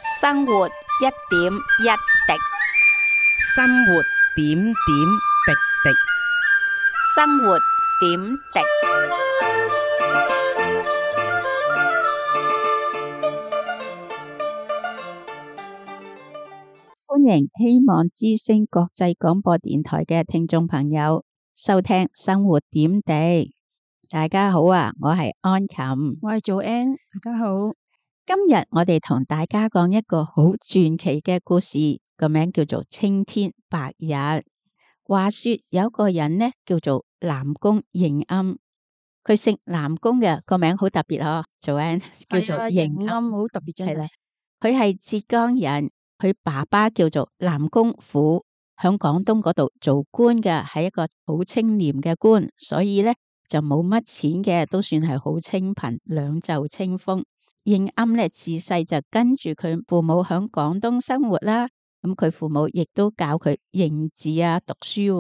生活一點一滴，生活點點滴滴。生活點滴。歡迎希望之聲國際廣播電台嘅聽眾朋友收聽生活點滴。大家好啊，我係安琴，我係做 N， 大家好。今日我哋同大家講一個好傳奇嘅故事，個名叫做青天白日。話說有個人呢叫做南宮應酣，佢姓南宮嘅，個名好特別嗬，做 N 叫做應酣，好特別真係。佢係浙江人，佢爸爸叫做南宮虎，響廣東嗰度做官嘅，係一個好清廉嘅官，所以呢就冇乜錢嘅，都算係好清貧，兩袖清風。應酣呢自細就跟住佢父母響廣東生活啦，咁佢父母亦都教佢認字啊、讀書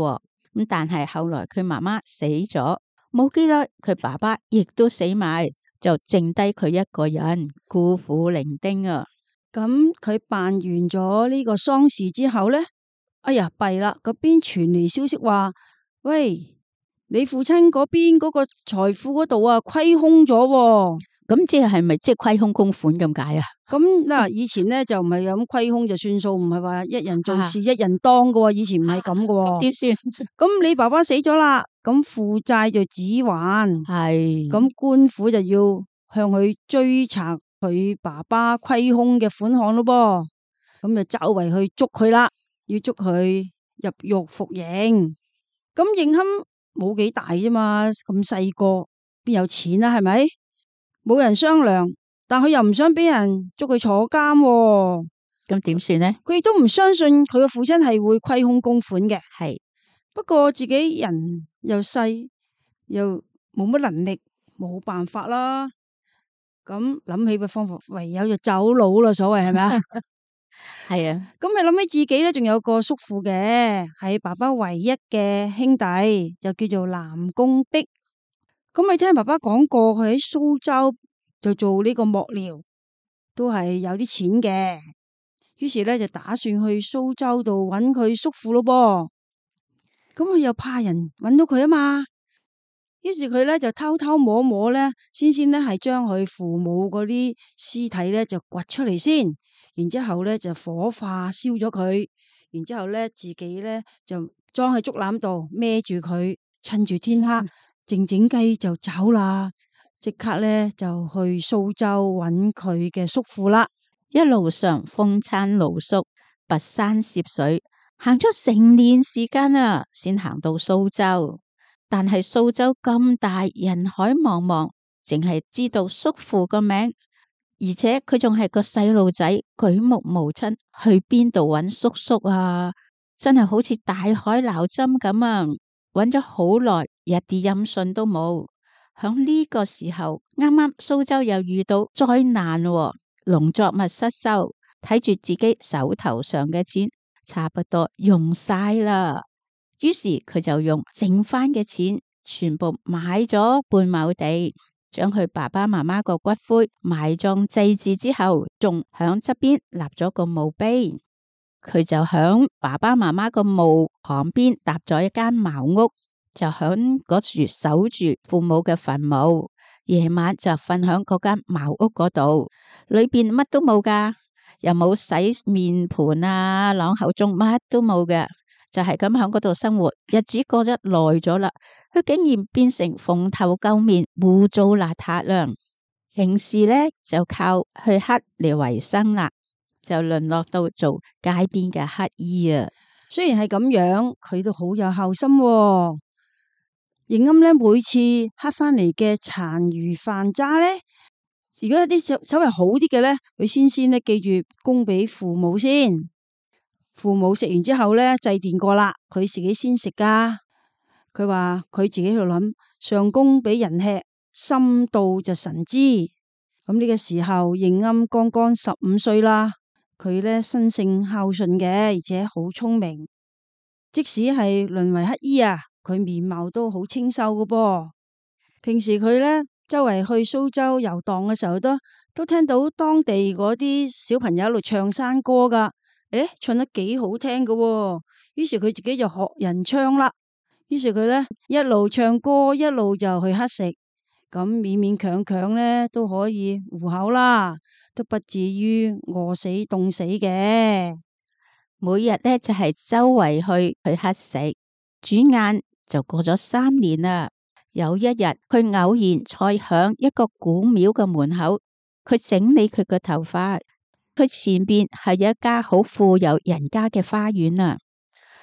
咁，但係後來佢媽媽死咗，冇幾耐佢爸爸亦都死埋，就剩低佢一個人孤苦伶仃啊。咁佢辦完咗呢個喪事之後呢，哎呀弊啦，嗰邊傳嚟消息話，喂，你父親嗰邊嗰個財富嗰度啊虧空咗喎。咁即係咪即係虧空公款咁解啊？咁嗱，以前呢就唔係咁虧空就算數，唔係話一人做事一人當噶喎，以前唔係咁噶喎。點算？咁你爸爸死咗啦，咁負債就只還，係咁官府就要向佢追查佢爸爸虧空嘅款項咯噃，咁就周圍去捉佢啦，要捉佢入獄服刑。咁應酣冇幾大啫嘛，咁細個邊有錢啊？係咪？冇人商量，但佢又唔想俾人捉佢坐監喎。咁點算呢？佢亦都唔相信佢嘅父親係會虧空公款嘅。係不過自己人又細，又冇乜能力，冇辦法啦。咁諗起個方法，唯有就走佬啦。所謂係咪啊？係啊。咁你諗起自己咧，仲有個叔父嘅，係爸爸唯一嘅兄弟，就叫做南宮璧。咁你聽爸爸講過，佢喺蘇州就做呢個幕僚，都係有啲錢嘅。於是咧就打算去蘇州度揾佢叔父咯噃。咁佢又怕人揾到佢啊嘛。於是佢咧就偷偷摸摸咧，先咧係將佢父母嗰啲屍體咧就掘出嚟先，然之後咧就火化燒咗佢，然之後咧自己咧就裝喺竹籃度孭住佢，趁住天黑靜靜雞就走啦，即刻咧就去蘇州揾佢嘅叔父啦。一路上風餐露宿，跋山涉水，行咗成年時間啊，先行到蘇州。但係蘇州咁大，人海茫茫，淨係知道叔父個名，而且佢仲係個細路仔，舉目無親，去邊度揾叔叔啊？真係好似大海撈針咁啊！揾咗好耐，一啲音訊都冇。響呢個時候，啱啱蘇州又遇到災難喎，農作物失收，睇住自己手頭上嘅錢差不多用晒啦，於是佢就用剩翻嘅錢全部買咗半畝地，將佢爸爸媽媽個骨灰埋葬祭祀之後，仲響側邊立咗個墓碑。佢就響爸爸媽媽個墓旁邊搭咗一間茅屋，就響嗰處守住父母嘅墳墓。夜晚就瞓響嗰間茅屋嗰度，裏邊乜都冇噶，又冇洗面盤啊、啷口盅，乜都冇嘅，就係咁響嗰度生活。日子過得耐咗啦，佢竟然變成蓬頭垢面、污糟邋遢啦。平時呢就靠去乞嚟為生啦，就淪落到做街邊嘅乞衣啊。雖然係咁樣，佢都好有孝心喎。應酣咧，每次乞翻嚟嘅殘餘飯渣咧，如果有啲稍微好啲嘅咧，佢先咧記住供俾父母先。父母食完之後咧，祭奠過啦，佢自己先食噶。佢話佢自己喺度諗，上供俾人吃，心到就神知。咁呢個時候，應酣剛剛15歲啦。佢咧生性孝順嘅，而且好聰明。即使係淪為乞衣啊，佢面貌都好清秀嘅噃。平時佢咧周圍去蘇州遊蕩嘅時候，都都聽到當地嗰啲小朋友喺度唱山歌噶，唱得幾好聽噶喎。於是佢自己就學人唱啦。於是佢呢一路唱歌，一路就去乞食，咁勉勉強強呢都可以糊口啦，都不至於餓死凍死嘅。每日呢就係周圍去乞食，轉眼就過咗3年啦。有一日，佢偶然坐響一個古廟嘅門口，佢整理佢嘅頭髮。佢前邊係一家好富有人家嘅花園啊。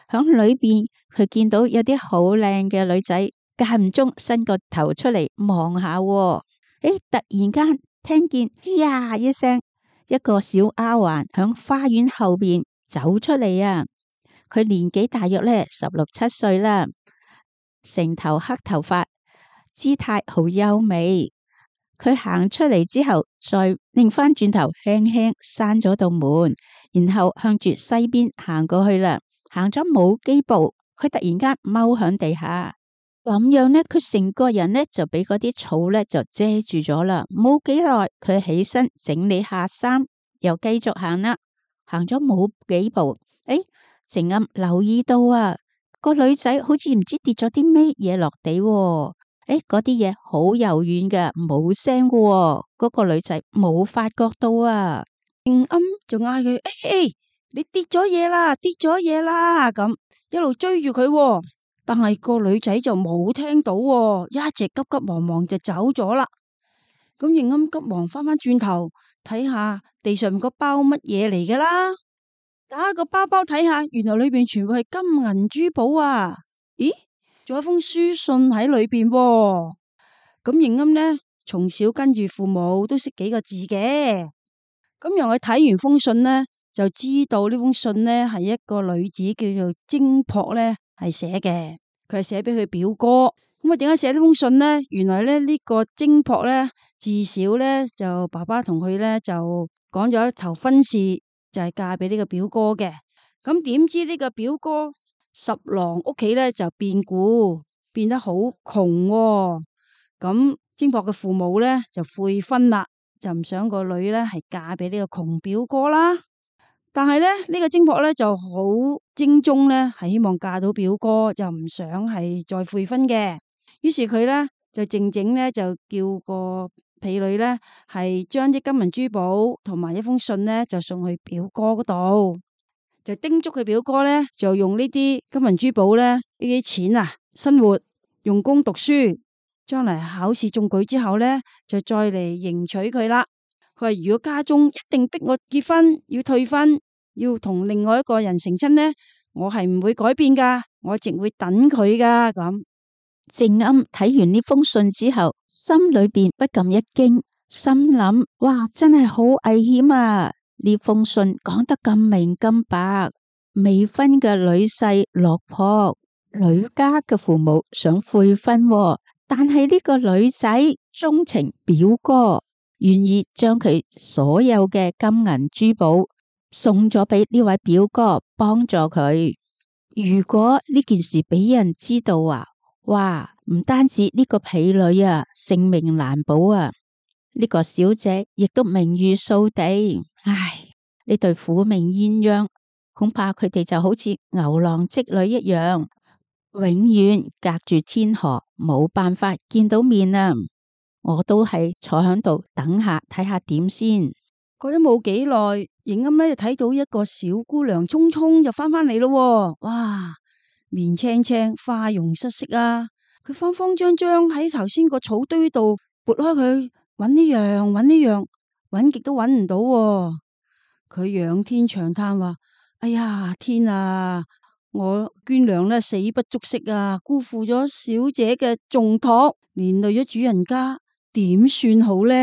響裏邊，佢見到有啲好靚嘅女仔，間唔中伸個頭出嚟望下。突然間聽見吱呀一聲，一個小丫鬟響花園後邊走出嚟啊。佢年紀大約呢16、17歲啦，成頭黑頭髮，姿態好優美。佢行出嚟之後，再擰翻轉頭，輕輕閂咗道門，然後向住西邊行過去啦。行咗冇幾步，佢突然間踎響地下，咁樣呢，佢成個人呢就俾嗰啲草呢就遮住咗啦。冇幾耐，佢起身整理下衫，又繼續行啦。行咗冇幾步，靜暗留意到啊，個女仔好似唔知跌咗啲咩嘢落地。嗰啲嘢好柔軟嘅，冇聲嘅。嗰個女仔冇發覺到啊，靜暗就嗌佢：你跌咗嘢啦，跌咗嘢啦！咁一路追住佢，但係個女仔就冇聽到，一直急急忙忙就走咗啦。咁靜暗急忙翻返轉頭睇下地上面個包乜嘢嚟噶啦，打開個包包睇下，原來裏邊全部係金銀珠寶啊！咦，仲有封書信喺裏邊。咁靜暗呢，從小跟住父母都識幾個字嘅，咁讓佢睇完封信呢，就知道呢封信呢係一個女子叫做精樸呢係寫嘅，佢係寫俾佢表哥。咁啊，點解寫呢封信呢？原來呢，呢個精樸呢，自小呢，就爸爸同佢呢，就講咗一頭婚事，就係嫁俾呢個表哥嘅。咁點知呢個表哥十郎屋企呢，就變故，變得好窮喎。咁精樸嘅父母呢，就悔婚啦，就唔想個女呢係嫁俾呢個窮表哥啦。但係呢，呢個精樸呢就好精忠呢，係希望嫁到表哥，就唔想係再悔婚嘅。於是佢呢，就靜靜呢，就叫個婢女呢，係將啲金銀珠寶同埋一封信呢，就送去表哥嗰度，就叮囑佢表哥呢，就用呢啲金銀珠寶呢，呢啲錢啊，生活用功讀書，將來考試中舉之後呢，就再嚟迎娶佢啦。佢話如果家中一定逼我結婚，要退婚，要同另外一個人成親呢，我係唔會改變噶，我淨會等佢噶。咁靜暗睇完呢封信之後，心裏邊不禁一驚，心諗：哇，真係好危險啊！呢封信講得咁明咁白，未婚嘅女婿落魄，女家嘅父母想悔婚，但係呢個女仔鍾情表哥，願意將佢所有嘅金銀珠寶送咗俾呢位表哥幫助佢。如果呢件事俾人知道啊，哇！唔單止呢個婢女啊性命難保啊，呢個小姐亦都名譽掃地。唉，呢對苦命鴛鴦，恐怕佢哋就好似牛郎織女一樣，永遠隔住天河，冇辦法見到面啊！我都係坐喺度等下睇下點先。過咗冇幾耐，靜暗呢就睇到一個小姑娘匆匆就翻返嚟咯。哇，面青青，花容失色啊！佢慌慌張張喺頭先個草堆度撥開佢，揾呢樣揾呢樣，揾極都揾唔到。佢仰天長嘆話：哎呀，天啊！我娟娘呢死不足惜啊，辜負咗小姐嘅重託，連累咗主人家，點算好呢？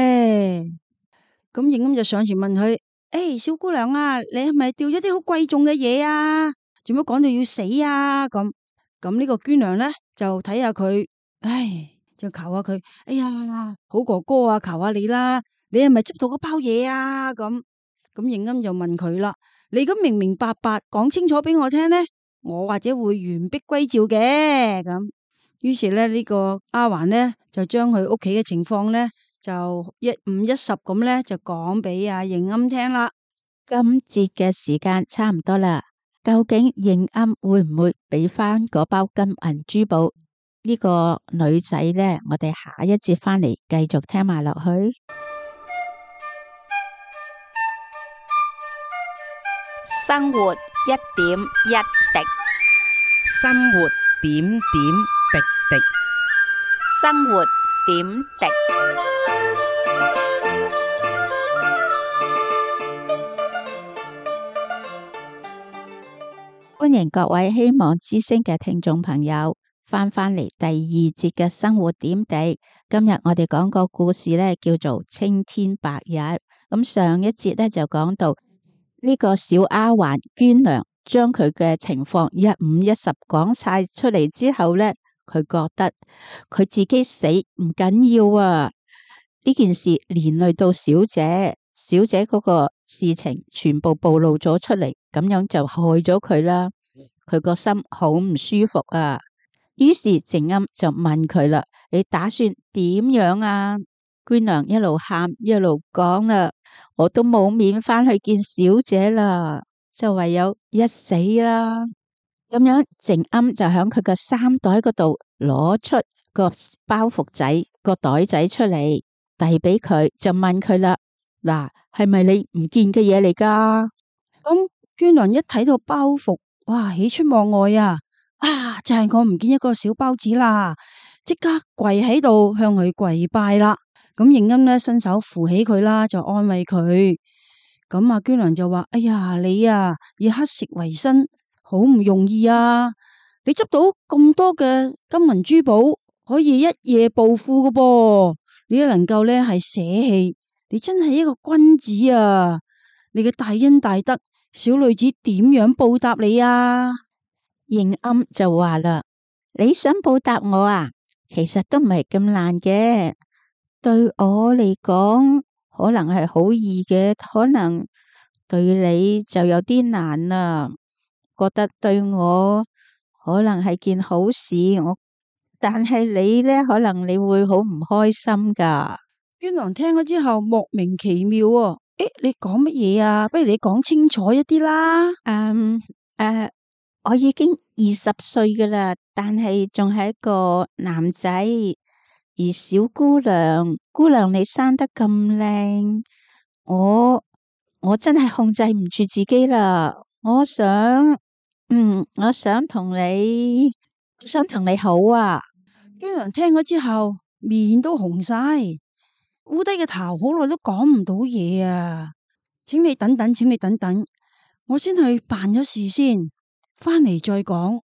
咁靜暗就上前問佢：小姑娘啊，你係咪掉咗啲好貴重嘅嘢啊？做乜講到要死啊？咁呢個娟娘呢，就睇下佢，就求下佢：哎呀，好哥哥啊，求下你啦，你係咪執到嗰包嘢啊？咁靜暗就問佢啦：你咁明明白白講清楚俾我聽呢，我或者會完璧歸趙嘅。咁於是呢，呢個丫鬟呢，就將佢屋企嘅情況呢，就一五一十咁呢，就講俾阿應鵪聽啦。今節嘅時間差唔多啦，究竟應鵪會唔會俾翻嗰包金銀珠寶呢個女仔呢？我哋下一節翻嚟繼續聽埋落去。生活一點一滴，生活點點滴滴。生活點滴。歡迎各位希望之聲嘅聽眾朋友翻嚟第二節嘅生活點滴。今日我哋講個故事呢，叫做青天白日。咁上一節呢，就講到呢個小丫鬟娟娘將佢嘅情況一五一十講晒出嚟之後呢，佢覺得佢自己死唔緊要啊，呢件事連累到小姐，小姐嗰個事情全部暴露咗出嚟，咁樣就害咗佢啦。佢個心好唔舒服啊。於是靜鵪就問佢啦：你打算點樣啊？娟娘一路喊一路講啦：我都冇面返去見小姐啦，就唯有一死啦。咁樣靜鵪就響佢嘅衫袋嗰度攞出個包袱仔個袋仔出嚟，遞俾佢，就問佢啦：嗱，係咪你唔見嘅嘢嚟噶？咁娟娘一睇到包袱，哇，喜出望外啊！就係我唔見一個小包子啦，即刻跪喺度向佢跪拜啦。咁應鵪呢，伸手扶起佢啦，就安慰佢。咁阿娟娘就話：哎呀，你啊以乞食為生，好唔容易啊！你執到咁多嘅金銀珠寶，可以一夜暴富噶噃。你都能夠呢係捨棄，你真係一個君子啊！你嘅大恩大德，小女子點樣報答你啊？應鵪就話啦：你想報答我啊？其實都唔係咁難嘅。對我嚟講，可能係好易嘅，可能對你就有啲難啦。覺得對我可能係件好事，但係你呢，可能你會好唔開心噶。娟娘聽咗之後莫名其妙喎。你講乜嘢啊？不如你講清楚一啲啦。我已經20歲噶啦，但係仲係一個男仔。而小姑娘你生得咁靚，我真係控制唔住自己啦。我想同你好啊。娟娘聽咗之後面都紅晒，烏低嘅頭，好耐都講唔到嘢啊。請你等等，我先去辦咗事先，翻嚟再講。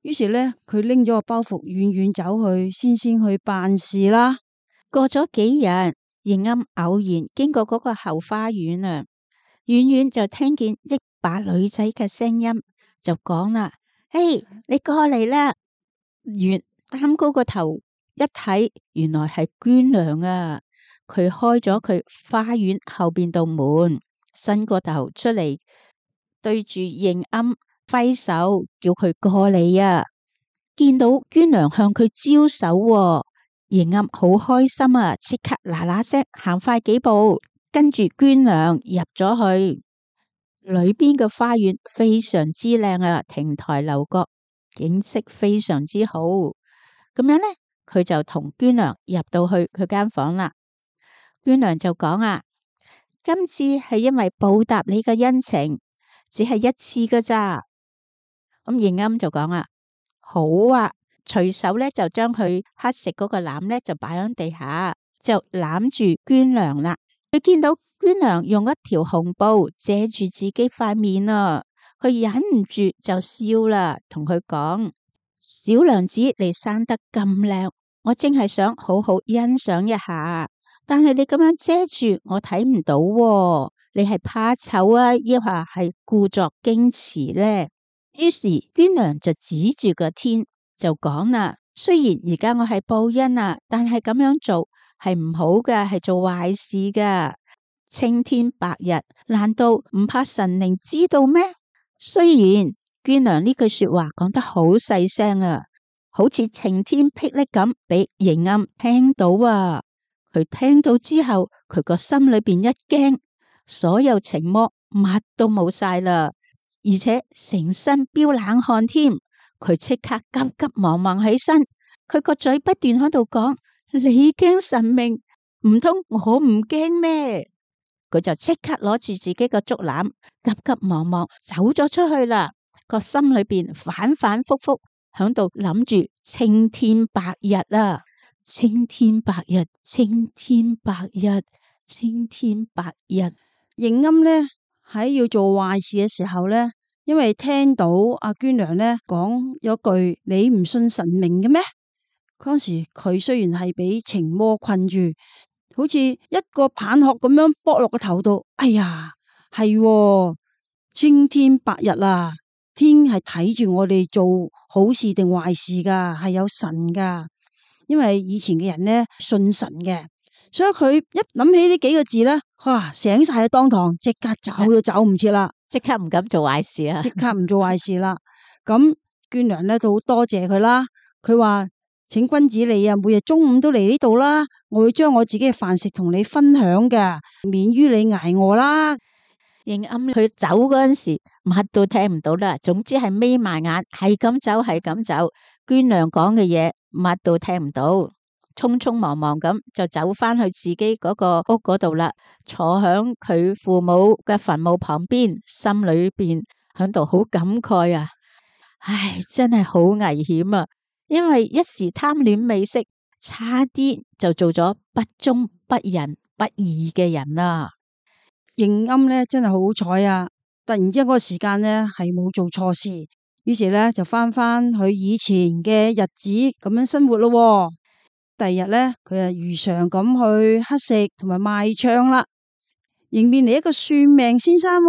於是呢，佢拎咗個包袱，遠遠走去，先去辦事啦。過咗幾日，應鵪偶然經過嗰個後花園啊，遠遠就聽見一把女仔嘅聲音，就講啦：嘿，你過嚟啦！擔高個頭一睇，原來係娟娘啊！佢開咗佢花園後邊道門，伸個頭出嚟，對住應鵪揮手叫佢過嚟啊！見到娟娘向佢招手，應鵪好開心啊！即刻嗱嗱聲行快幾步，跟住娟娘入咗去。裏邊嘅花園非常之靚啊，亭台樓閣，景色非常之好。咁樣呢，佢就同娟娘入到去佢間房啦。娟娘就講啊：今次係因為報答你嘅恩情，只係一次噶咋。咁應鵪就講啊：好啊，隨手咧就將佢乞食嗰個籃咧就擺喺地下，就攬住娟娘啦。佢見到娟娘用一條紅布遮住自己塊面啊，佢忍唔住就笑啦，同佢講：小娘子，你生得咁靚，我正係想好好欣賞一下，但係你咁樣遮住我睇唔到喎，你係怕醜啊，抑或係故作矜持呢？於是娟娘就指住個天就講啦：雖然而家我係報恩啊，但係咁樣做係唔好嘅，係做壞事噶。青天白日，難道唔怕神靈知道咩？雖然娟娘呢句說話講得好細聲啊，好似晴天霹靂咁俾應鵪聽到啊，佢聽到之後，佢個心裏邊一驚，所有情魔乜都冇晒啦，而且成身飆冷汗添。佢即刻急急忙忙起身，佢個嘴不斷喺度講：你驚神明，唔通我唔驚咩？佢就即刻攞住自己個竹籃，急急忙忙走咗出去啦。個心裏邊反反复复響度諗住青天白日啊！青天白日，青天白日，青天白日。應鵪呢喺要做壞事嘅時候呢，因為聽到阿娟娘呢講咗句你唔信神明嘅咩？嗰時佢雖然係俾情魔困住，好似一個棒殼咁樣剝落個頭度。哎呀，係青天白日啊！天係睇住我哋做好事定壞事噶，係有神噶。因為以前嘅人呢信神嘅，所以佢一諗起呢幾個字呢，哇，醒晒喺當堂，即刻走都走唔切啦，即刻唔敢做壞事啊！即刻唔做壞事啦。咁娟娘呢都好多謝佢啦。佢話：請君子你啊，每日中午都嚟呢度啦，我會將我自己嘅飯食同你分享嘅，免於你挨餓啦。應鵪佢走嗰陣時，乜都聽唔到啦。總之係眯埋眼，係咁走，係咁走。娟娘講嘅嘢，乜都聽唔到，匆匆忙忙咁就走翻去自己嗰個屋嗰度啦，坐響佢父母嘅墳墓旁邊，心裏邊響度好感慨啊！唉，真係好危險啊！因為一時貪戀美色，差啲就做咗不忠不仁不義嘅人啦。應鵪呢真係好彩啊！突然之間嗰個時間呢係冇做錯事，於是呢就翻去以前嘅日子咁樣生活咯。第二日呢，佢啊如常咁去乞食同埋賣唱啦，迎面嚟一個算命先生。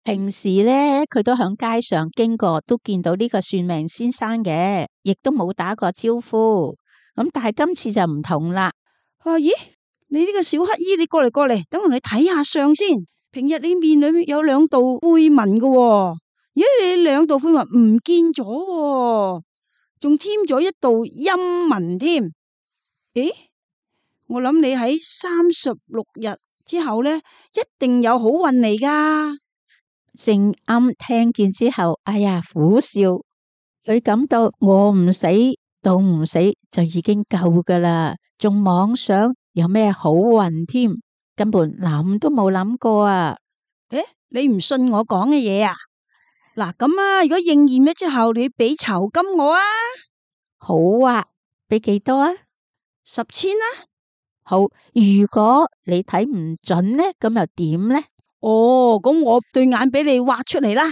平時呢，佢都響街上經過，都見到呢個算命先生嘅，亦都冇打過招呼。咁但係今次就唔同啦。佢話：咦，你呢個小乞衣，你過嚟過嚟，等我哋睇下相先。平日你面裏面有兩道灰紋嘅，而家你兩道灰紋唔見咗，仲添咗一道陰紋添。誒，我諗你喺36日之後呢，一定有好運嚟噶。正啱聽見之後，哎呀，苦笑。佢感到我唔死到唔死就已經夠噶啦，仲妄想有咩好運添，根本諗都冇諗過啊！誒，你唔信我講嘅嘢啊？嗱，咁啊，如果應驗咗之後，你俾酬金我啊？好啊，俾幾多啊？10,000啊？好，如果你睇唔準呢，咁又點呢？哦，咁我對眼俾你挖出嚟啦！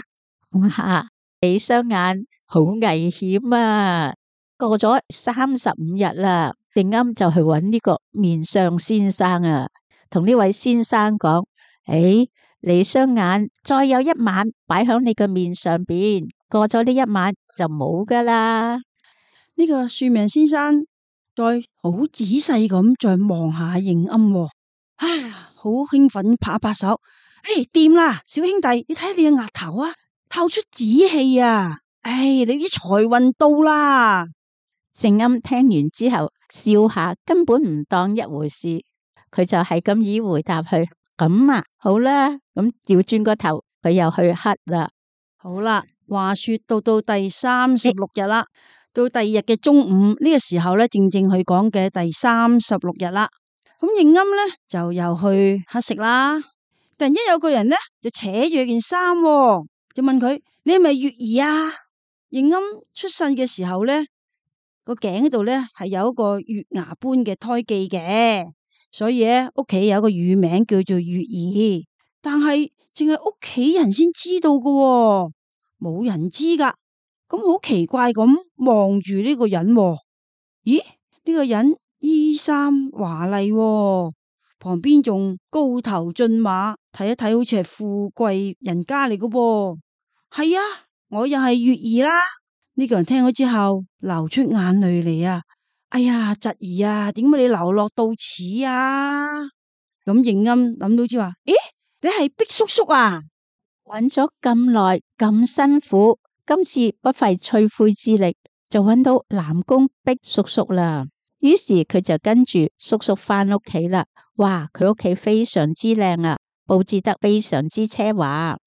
哇，你雙眼好危險啊！過咗35日啦，應鵪就去揾呢個面相先生啊，同呢位先生講：誒，你雙眼再有一晚擺響你個面上邊，過咗呢一晚就冇噶啦。呢個算命先生再好仔細咁再望下應鵪，好興奮拍一拍手。誒，掂啦，小兄弟，你睇下你嘅額頭啊，透出紫氣啊！你啲財運到啦！應鵪聽完之後笑下，根本唔當一回事，佢就係咁以回答佢：咁啊，好啦，咁調轉個頭，佢又去乞啦。好啦，話說到第36日啦，到第二日嘅中午呢個時候咧，正正佢講嘅第36日啦。咁應鵪咧就又去乞食啦。突然間有個人呢，就扯住件衫，就問佢：你係咪月兒啊？應鵪出世嘅時候呢，個頸度呢係有一個月牙般嘅胎記嘅，所以咧屋企有一個乳名叫做月兒，但係淨係屋企人先知道㗎，冇人知噶。咁好奇怪咁望住呢個人，咦？呢個人衣衫華麗，旁邊仲高頭駿馬，睇一睇好似係富貴人家嚟嘅噃。係啊，我又係月兒啦。呢個人聽咗之後流出眼淚嚟啊！哎呀，侄兒啊，點解你流落到此啊？咁應鵪諗到之話：咦，你係畢叔叔啊？揾咗咁耐咁辛苦，今次不費吹灰之力就揾到南宮畢叔叔啦。於是佢就跟住叔叔返屋企啦。哇，佢屋企非常之靚啊，佈置得非常之奢華。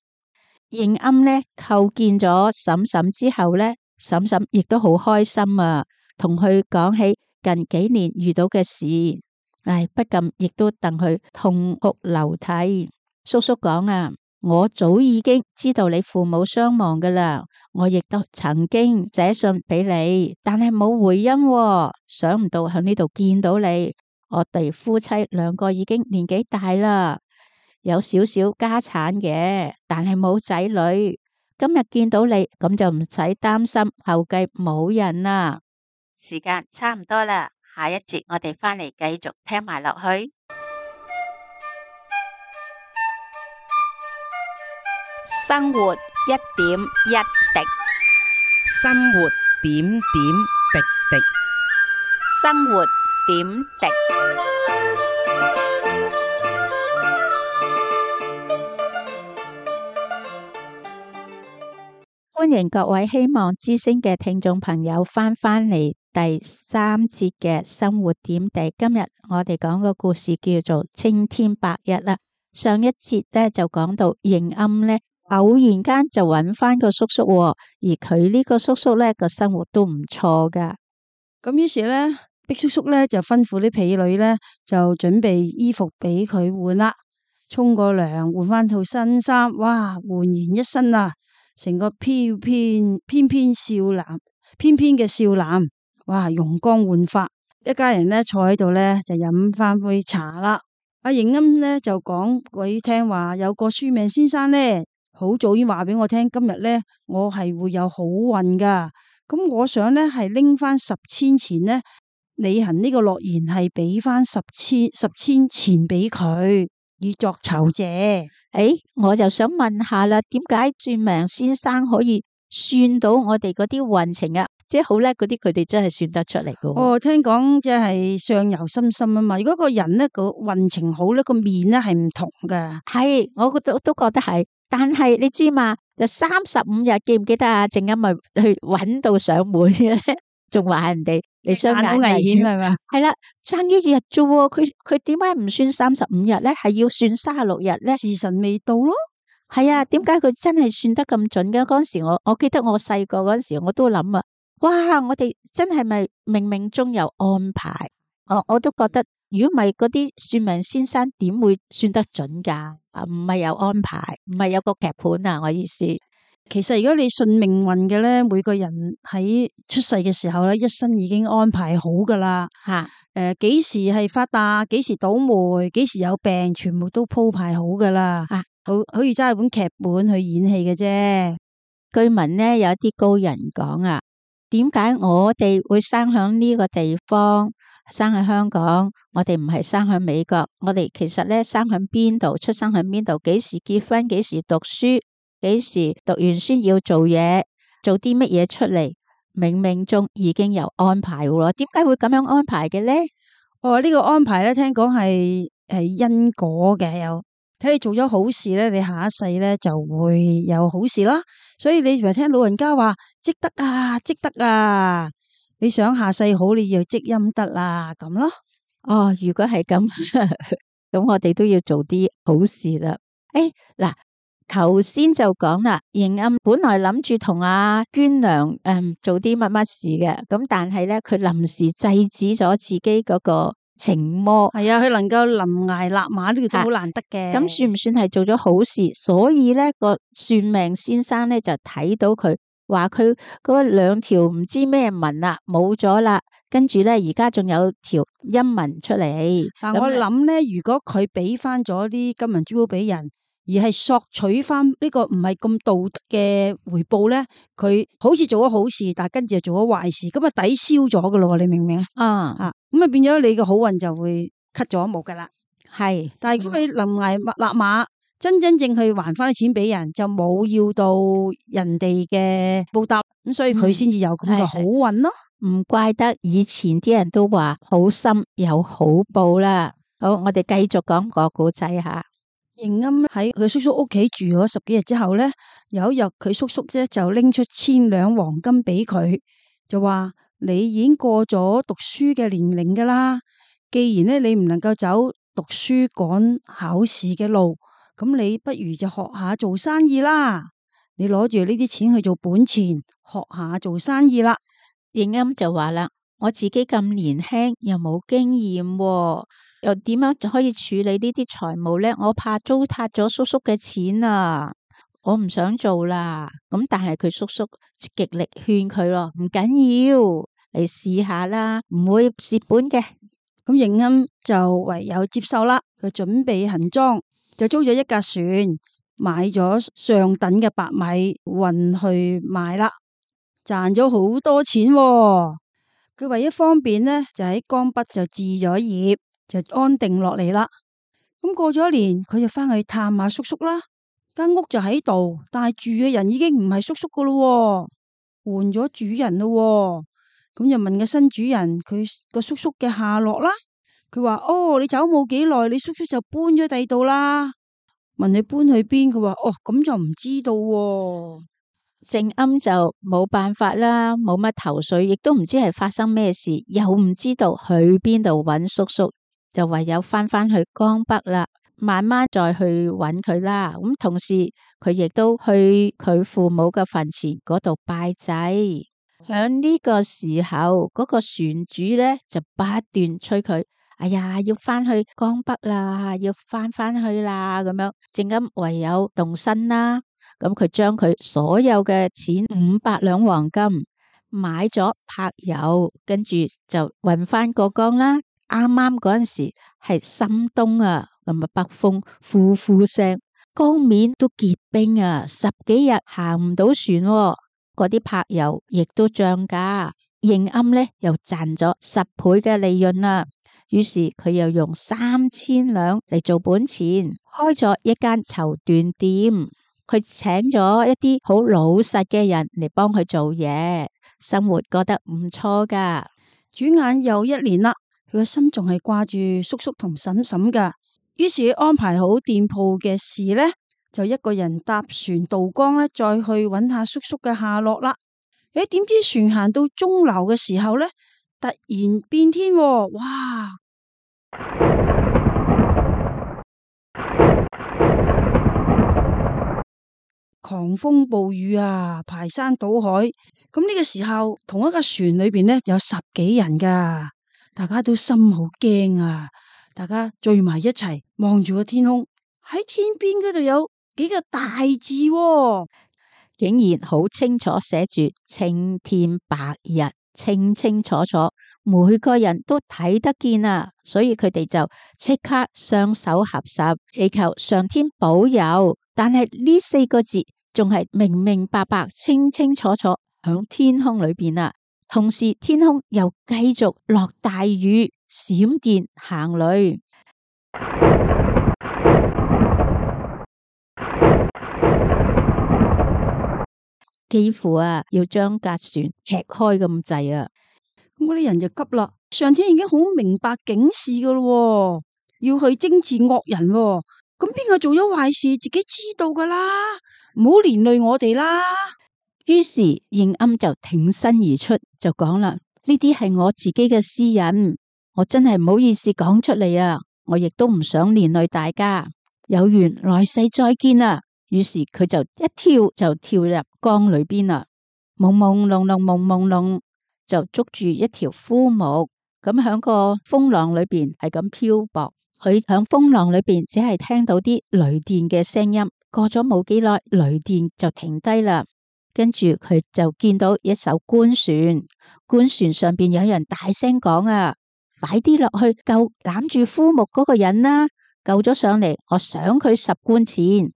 應鵪呢叩見咗嬸嬸之後呢，嬸嬸亦都好開心啊，同佢講起近幾年遇到嘅事，不禁亦都戥佢痛哭流涕。叔叔講啊，我早已經知道你父母雙亡噶啦，我亦都曾經寫信俾你，但係冇回音喎。想唔到喺呢度見到你，我哋夫妻兩個已經年紀大啦，有少少家產嘅，但係冇仔女。今日見到你，咁就唔使擔心後繼冇人啦。時間差唔多啦，下一節我哋返嚟繼續聽埋落去。生活一點一滴，生活點點滴滴。生活點滴。歡迎各位希望之聲嘅聽眾朋友返嚟第三節嘅生活點滴。今日我哋講個故事叫做青天白日啦。上一節咧就講到應鵪咧偶然間就揾翻個叔叔，而佢呢個叔叔咧個生活都唔錯噶。咁於是咧，碧叔叔咧就吩咐啲婢女咧就準備衣服俾佢換啦，沖個涼，換翻套新衫，哇，煥然一新啊！成個翩翩少男，翩翩嘅少男，哇，容光煥發。一家人咧坐喺度咧就飲翻杯茶啦。阿應鵪咧就講鬼聽話，有個算命先生咧好早已經話俾我聽，今日咧我係會有好運噶。咁我想咧係拎翻10千錢咧，履行呢個諾言，係俾翻10千錢俾佢，以作酬謝。我就想問下啦，點解算命先生可以算到我哋嗰啲運程啊？即係好叻嗰啲，佢哋真係算得出嚟噶。哦，聽講即係相由心生啊嘛。如果個人咧個運程好咧，個面咧係唔同噶。係，我都覺得係。但係你知嘛，就35日，記唔記得啊？正啱咪去揾到上門嘅咧，仲話人哋你雙眼好危險係咪？係啦，爭一日啫喎，佢點解唔算35日咧？係要算36日咧？時辰未到咯。係啊，點解佢真係算得咁準嘅？嗰時我記得我細個嗰時，我都諗啊，哇！我哋真係咪冥冥中有安排？我都覺得，如果唔係嗰啲算命先生，點會算得準噶？唔係有安排，唔係有個劇本啊！我意思，其實如果你信命運嘅咧，每個人喺出世嘅時候咧，一生已經安排好噶啦。吓，幾時係發達，幾時倒霉，幾時有病，全部都鋪排好噶啦。好似揸一本劇本去演戲嘅啫。據聞呢，有一啲高人講啊，點解我哋會生響呢個地方，生喺香港？我哋唔係生喺美國，我哋其實咧生喺邊度，出生喺邊度，幾時結婚，幾時讀書，幾時讀完書要做嘢，做啲乜嘢出嚟，冥冥中已經有安排喎。點解會咁樣安排嘅咧？呢個安排咧，聽講係因果嘅，有睇你做咗好事咧，你下一世咧就會有好事啦。所以你咪聽老人家話積德啊，積德啊，你想下世好，你要積陰德啦，咁咯。如果係咁，咁我哋都要做啲好事啦。嗱，頭先就講啦，應鵪本來諗住同阿娟娘做啲乜乜事嘅，咁但係咧佢臨時制止咗自己嗰個情魔。係啊，佢能夠臨崖勒馬呢個都好難得嘅。咁算唔算係做咗好事？所以咧個算命先生咧就睇到佢，話佢嗰2條唔知咩紋啦，冇咗啦。跟住咧，而家仲有條陰紋出嚟。但我諗咧，如果佢俾翻咗啲金銀珠寶俾人，而係索取翻呢個唔係咁道德嘅回報咧，佢好似做咗好事，但係跟住就做咗壞事，咁啊抵消咗噶咯。你明唔明啊？咁啊變咗你嘅好運就會 cut 咗一幕噶啦。係，但係如果佢臨崖勒馬，真正去還翻啲錢俾人，就冇要到人哋嘅報答，咁所以佢先至有咁嘅好運咯。唔怪得以前啲人都話好心有好報啦。好，我哋繼續講個故仔吓。應鵪喺佢叔叔屋企住咗10幾日之後咧，有一日佢叔叔咧就拎出1000兩黃金俾佢，就話你已經過咗讀書嘅年齡噶啦。既然呢，你唔能夠走讀書趕考試嘅路，咁你不如就學下做生意啦。你攞住呢啲錢去做本錢，學下做生意啦。應鶯就話啦：我自己咁年輕，又冇經驗喎，又點樣可以處理呢啲財務呢？我怕糟蹋咗叔叔嘅錢啊！我唔想做啦。咁但係佢叔叔極力勸佢咯，唔緊要，嚟試下啦，唔會蝕本嘅。咁應鶯就唯有接受啦。佢準備行裝，就租咗一架船，買咗上等嘅白米運去賣啦，賺咗好多錢喎。佢為咗方便呢，就喺江北就置咗業，就安定落嚟啦。咁過咗一年，佢就翻去探下叔叔啦。間屋就喺度，但係住嘅人已經唔係叔叔噶咯，換咗主人咯。咁就問個新主人佢個叔叔嘅下落啦。佢話：哦，你走冇幾耐，你叔叔就搬咗第二度啦。問你搬去邊？佢話：哦，咁就唔知道喎。應鶯就冇辦法啦，冇乜頭緒，亦都唔知係發生咩事，又唔知道去邊度揾叔叔，就唯有翻去江北啦，慢慢再去揾佢啦。咁同時佢亦都去佢父母嘅墳前嗰度拜祭。響呢個時候，嗰個船主呢就不斷催佢：哎呀，要翻去江北啦，要翻去啦，咁樣。應鶯唯有動身啦。咁佢將佢所有嘅錢500兩黃金買咗柏油，跟住就運翻過江啦。啱啱嗰陣時係深冬啊，咁啊北風呼呼聲，江面都結冰啊，10幾日行唔到船喎。嗰啲柏油亦都漲價，應鶯呢又賺咗10倍嘅利潤啦。於是佢又用3000兩嚟做本錢，開咗一間綢緞店。佢請咗一啲好老實嘅人嚟幫佢做嘢，生活覺得唔錯噶。轉眼又一年啦，佢個心仲係掛住叔叔同嬸嬸噶。於是佢安排好店鋪嘅事呢，就一個人搭船渡江呢，再去揾下叔叔嘅下落啦。點知船行到中流嘅時候呢，突然變天喎，哇！狂風暴雨啊，排山倒海。咁呢個時候，同一個船裏邊呢，有10幾人噶，大家都心好驚啊！大家聚埋一齊望住個天空，喺天邊嗰度有幾個大字喎，竟然好清楚寫住青天白日，清清楚楚，每個人都睇得見啊！所以佢哋就即刻雙手合十，祈求上天保佑。但係呢4個字仲係明明白白、清清楚楚響天空裏邊啊！同時天空又繼續落大雨、閃電、行雷，幾乎啊要將架船劈開咁滯啊！咁嗰啲人就急啦，上天已經好明白警示噶咯，要去征治惡人喎。咁邊個做咗壞事，自己知道噶啦，唔好連累我哋啦。於是應鶯就挺身而出，就講啦：呢啲係我自己嘅私隱，我真係唔好意思講出嚟啊！我亦都唔想連累大家，有緣來世再見啦。於是佢就一跳就跳入江裏邊啦，朦朦朧朧，朦朦朧，就捉住一條枯木，咁響個風浪裏邊係咁漂泊。佢響風浪裏邊只係聽到啲雷電嘅聲音，過咗冇幾耐，雷電就停低啦。跟住佢就見到一艘官船，官船上邊有人大聲講啊：快啲落去救攬住枯木嗰個人啦！救咗上嚟，我賞佢10官錢。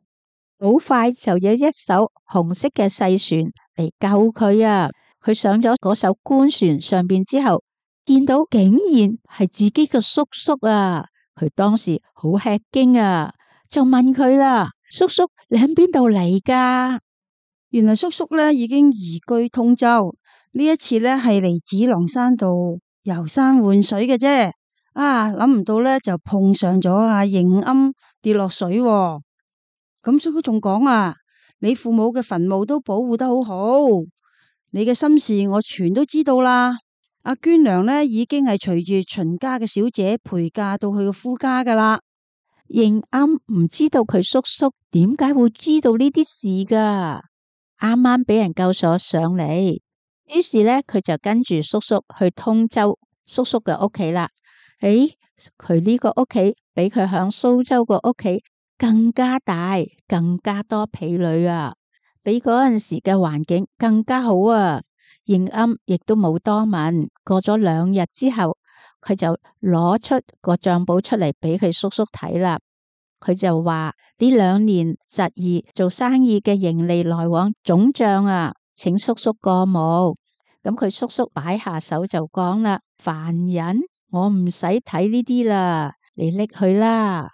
好快就有一艘紅色嘅細船嚟救佢啊！佢上咗嗰艘官船上邊之後，見到竟然係自己嘅叔叔啊！佢當時好吃驚啊，就問佢啦：叔叔，你喺邊度嚟噶？原來叔叔呢已經移居通州，呢一次呢係嚟紫郎山度遊山玩水嘅啫。諗唔到呢就碰上咗阿應鶯跌落水喎。咁叔叔仲講啊：你父母嘅墳墓都保護得好好，你嘅心事我全都知道啦。阿娟娘呢已經係隨住秦家嘅小姐陪嫁到去個夫家噶啦。認啱唔知道佢叔叔點解會知道呢啲事噶，啱啱俾人救咗上嚟，於是呢，佢就跟住叔叔去通州叔叔嘅屋企啦。誒，佢呢個屋企比佢響蘇州個屋企更加大，更加多婢女啊，比嗰陣時嘅環境更加好啊。認啱亦都冇多問，過咗2日之後，佢就攞出個賬簿出嚟俾佢叔叔睇啦。佢就話呢2年侄兒做生意嘅盈利來往總賬啊，請叔叔過目。咁佢叔叔擺下手就講啦：凡人，我唔使睇呢啲啦，你拎去啦。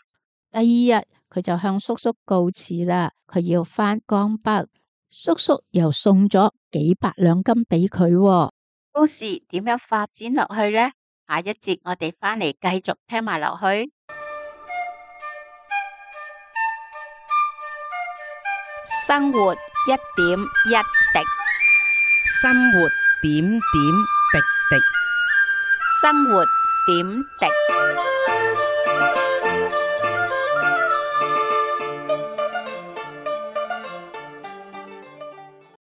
第2日佢就向叔叔告辭啦，佢要返江北。叔叔又送咗幾百兩金俾佢喎。故事點樣發展落去呢？下一節我哋返嚟繼續聽埋落去。生活一點一滴，生活點點滴滴。生活點滴。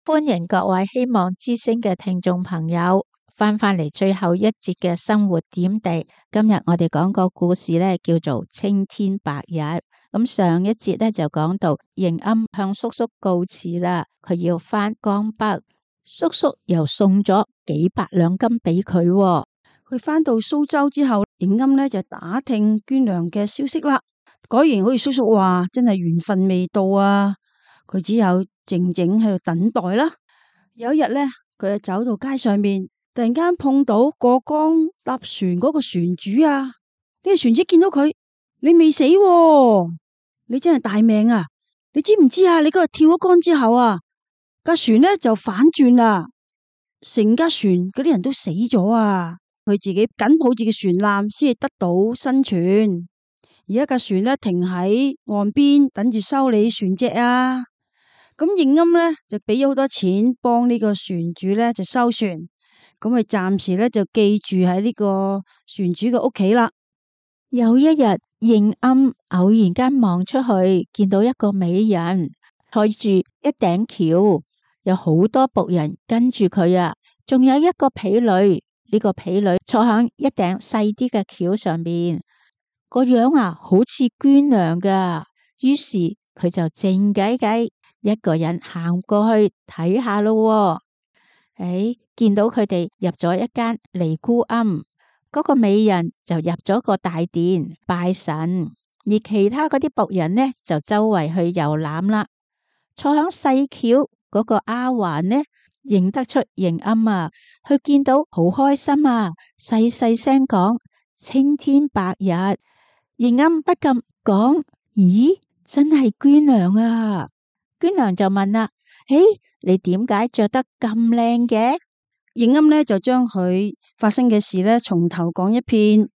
歡迎各位希望之聲嘅聽眾朋友翻嚟最後一節嘅生活點滴。今日我哋講個故事呢，叫做青天白日。咁上一節呢，就講到認啱向叔叔告辭啦，佢要返江北，叔叔又送咗幾百兩金俾佢。佢返到蘇州之後，認啱呢就打聽娟娘嘅消息啦。果然好似叔叔話，真係緣分未到啊！佢只有靜靜喺度等待啦。有一日呢，佢就走到街上面，突然間碰到過江搭船嗰個船主啊！呢個船主見到佢，你未死喎，你真係大命啊！你知唔知啊？你嗰日跳咗江之後啊，架船呢就反轉啦，成架船嗰啲人都死咗啊！佢自己緊抱住嘅船纜先至得到生存。而家架船呢停喺岸邊等住修理船隻啊！咁認啱呢，就俾咗好多錢幫呢個船主呢就修船，咁佢暫時呢就寄住喺呢個船主嘅屋企啦。有一日，認啱偶然間望出去，見到一個美人坐住一頂轎，有好多僕人跟住佢啊，仲有一個婢女。呢個婢女坐響一頂細啲嘅轎上面，個樣啊好似娟娘噶。於是佢就靜雞雞一個人行過去睇下咯。見到佢哋入咗一間尼姑庵，嗰個美人就入咗個大殿拜神，而其他嗰啲僕人呢就周圍去遊覽啦。坐響細轎嗰個丫鬟呢，認得出認啱啊，佢見到好開心啊，細細聲講青天白日。認啱不禁講：咦，真係娟娘啊！娟娘就問啦：你點解着得咁靚嘅？認啱呢就將佢發生嘅事呢從頭講一遍。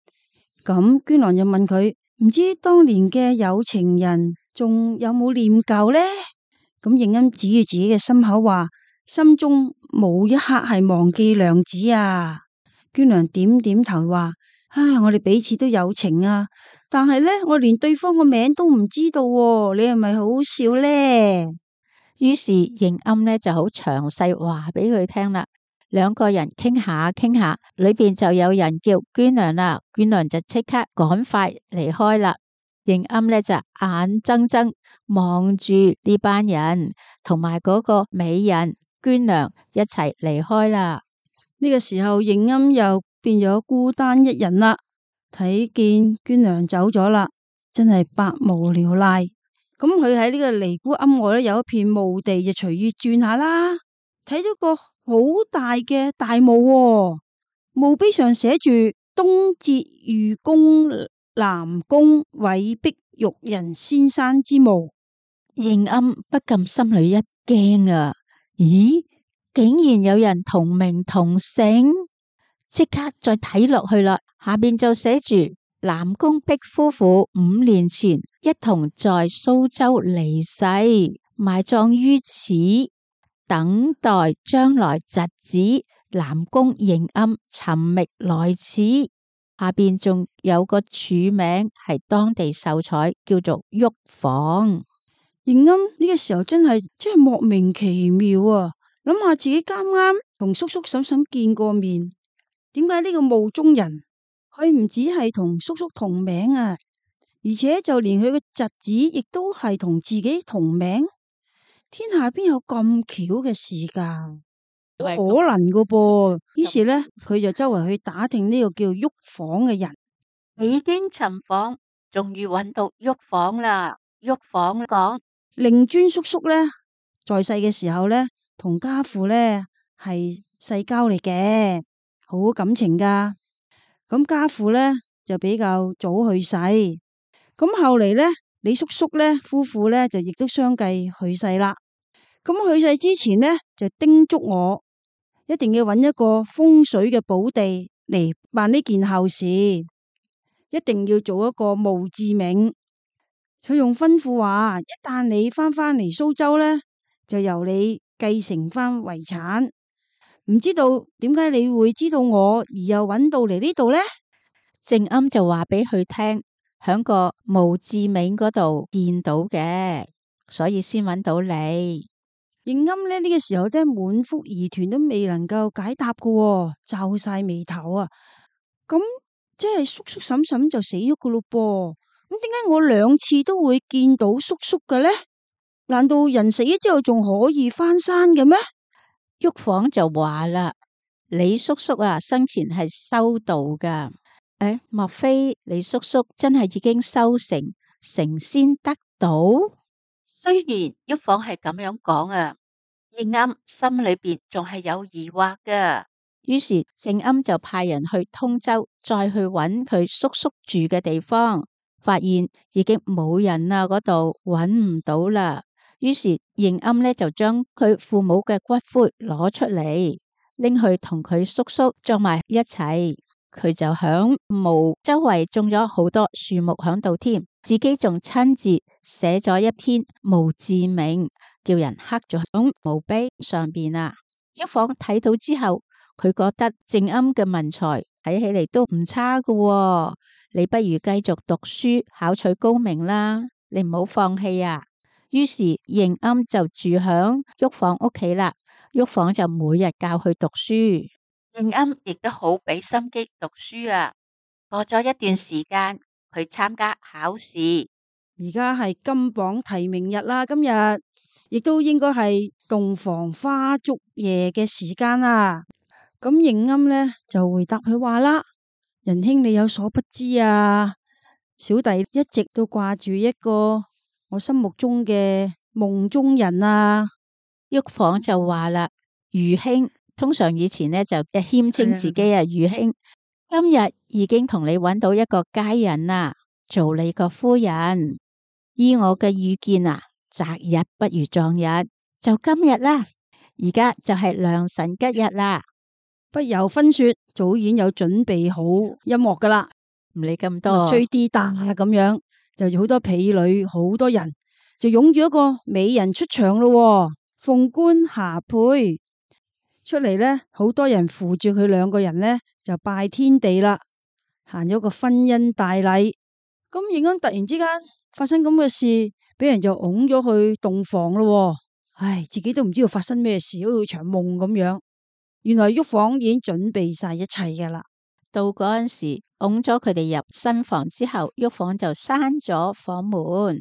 咁娟娘就問佢：唔知當年嘅有情人仲有冇念舊呢？咁認啱指住自己嘅心口話：心中冇一刻係忘記娘子啊！娟娘點點頭話：我哋彼此都有情啊，但係呢，我連對方個名都唔知道喎，你係咪好好笑呢？於是認啱呢就好詳細話俾佢聽啦。兩個人傾下傾下，裏邊就有人叫娟娘啦，娟娘就即刻趕快離開啦。認啱呢就眼睜睜望住呢班人同埋嗰個美人娟娘一齊離開啦。呢個時候認啱又變咗孤單一人啦，睇見娟娘走咗啦，真係百無聊賴。咁佢喺呢個尼姑庵外有一片墓地，就隨意轉下啦，睇到個好大嘅大墓喎，墓碑上寫住東節御公南宮韋碧玉人先生之墓。認啱不禁心裏一驚啊！咦，竟然有人同名同姓，即刻再睇落去啦。下邊就寫住南宮碧夫婦5年前一同在蘇州離世，埋葬於此，等待將來侄子南宮認庵尋覓來此。下邊仲有個署名係當地秀才，叫做旭訪。認庵呢個時候真係莫名其妙啊！諗下自己啱啱同叔叔嬸嬸見過面，點解呢個墓中人佢唔止係同叔叔同名啊，而且就連佢個侄子亦都係同自己同名？天下邊有咁巧嘅事噶？冇可能噶噃。於是呢，佢就周圍去打聽呢個叫旭訪嘅人。幾經尋訪，終於揾到旭訪啦。旭訪講，令尊叔叔呢，在世嘅時候呢，同家父呢係世交嚟嘅，好感情噶。咁家父呢，就比較早去世，咁後嚟呢，李叔叔呢夫婦呢，就亦都相繼去世啦。咁去世之前呢，就叮囑我一定要揾一個風水嘅寶地嚟辦呢件後事，一定要做一個墓誌銘。佢用吩咐話，一旦你翻嚟蘇州呢，就由你繼承翻遺產。唔知道點解你會知道我，而又揾到嚟呢度呢？認庵就話俾佢聽，響個墓誌銘嗰度見到嘅，所以先揾到你。認庵呢個時候咧，滿腹疑團都未能夠解答噶，皺晒眉頭啊！咁即係叔叔嬸嬸就死咗噶咯噃？咁點解我兩次都會見到叔叔嘅呢？難道人死咗之後仲可以翻生嘅咩？旭訪就話啦，李叔叔啊，生前係修道噶。莫非李叔叔真係已經修成仙得道？雖然旭訪係咁樣講啊，認庵心裏邊仲係有疑惑噶。於是認庵就派人去通州，再去揾佢叔叔住嘅地方，發現已經冇人啦，嗰度揾唔到啦。於是認庵呢就將佢父母嘅骨灰攞出嚟，拎去同佢叔叔葬埋一齊。佢就響墓周圍種咗好多樹木響度添，自己仲親自寫咗一篇墓誌銘，叫人刻咗響墓碑上邊啊。旭訪睇到之後，佢覺得認庵嘅文才睇起嚟都唔差噶喎，你不如繼續讀書考取高明啦，你唔好放棄啊。於是認庵就住響旭訪屋企啦，旭訪就每日教佢讀書。認庵亦都好俾心機讀書啊。過咗一段時間，佢參加考試。而家係金榜題名日啦，今日亦都應該係洞房花燭夜嘅時間啦。咁認庵呢就回答佢話啦：仁兄你有所不知啊，小弟一直都掛住一個我心目中嘅夢中人啊。旭訪就話啦：余兄。通常以前呢就謙稱自己啊余兄，今日已經同你揾到一個佳人啦，做你個夫人。依我嘅預見啊，擇日不如撞日，就今日啦。而家就係良辰吉日啦，不由分說，早已經有準備好音樂噶啦，唔理咁多，吹啲打咁樣，就好多婢女，好多人就擁住一個美人出場咯，鳳冠霞帔。出嚟呢，好多人扶住佢兩個人呢，就拜天地啦，行咗個婚姻大禮。咁認庵突然之間發生咁嘅事，俾人就拱咗去洞房咯。唉，自己都唔知道發生咩事，好似場夢咁樣。原來旭訪已經準備晒一切噶啦。到嗰陣時，拱咗佢哋入新房之後，旭訪就閂咗房門，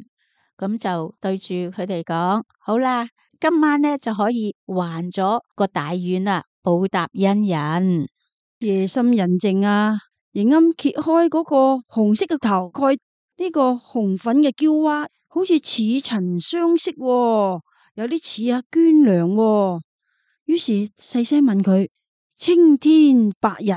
咁就對住佢哋講：好啦。今晚呢就可以還咗個大願啦，報答恩人。夜深人靜啊，認庵揭開嗰個紅色嘅頭蓋，呢個紅粉嘅嬌娃好似似曾相識，有啲似阿娟娘。於是細聲問佢：青天白日。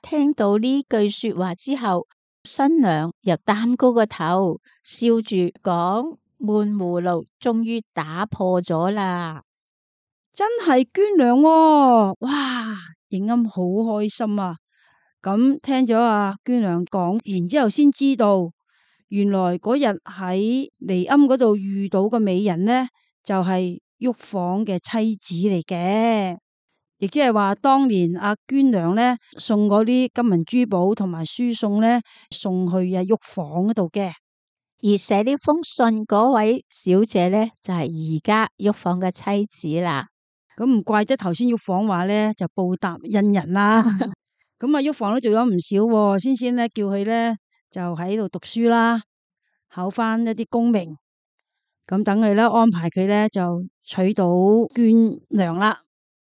聽到呢句說話之後，新娘又擔高個頭，笑住講：悶葫蘆終於打破咗啦！真係娟娘喎！哇，認庵好開心啊！咁聽咗阿娟娘講，然之後先知道，原來嗰日喺離庵嗰度遇到個美人呢，就係旭訪嘅妻子嚟嘅。亦即係話當年阿娟娘咧送嗰啲金銀珠寶同埋書送咧送去阿玉房嗰度嘅。而寫呢封信嗰位小姐咧就係而家玉房嘅妻子啦。咁唔怪得頭先玉房話咧就報答恩人啦。咁啊，玉房都做咗唔少喎，先咧叫佢咧就喺度讀書啦，考翻一啲功名。咁等佢咧安排佢咧就娶到娟娘啦。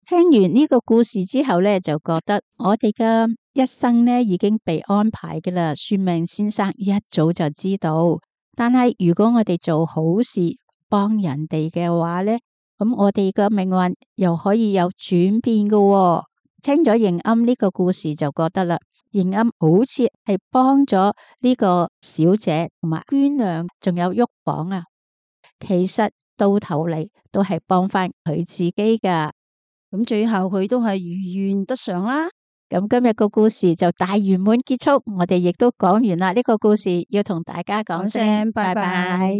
聽完呢個故事之後咧，就覺得我哋嘅一生咧已經被安排嘅啦。算命先生一早就知道，但係如果我哋做好事幫人哋嘅話咧，咁我哋嘅命運又可以有轉變嘅喎。聽咗迎庵呢個故事就覺得啦，迎庵好似係幫咗呢個小姐同埋娟娘，仲有玉房啊。其實到頭嚟都係幫翻佢自己噶。咁最後佢都係如願得償啦。咁今日個故事就大圓滿結束，我哋亦都講完啦。呢個故事要同大家講聲拜拜。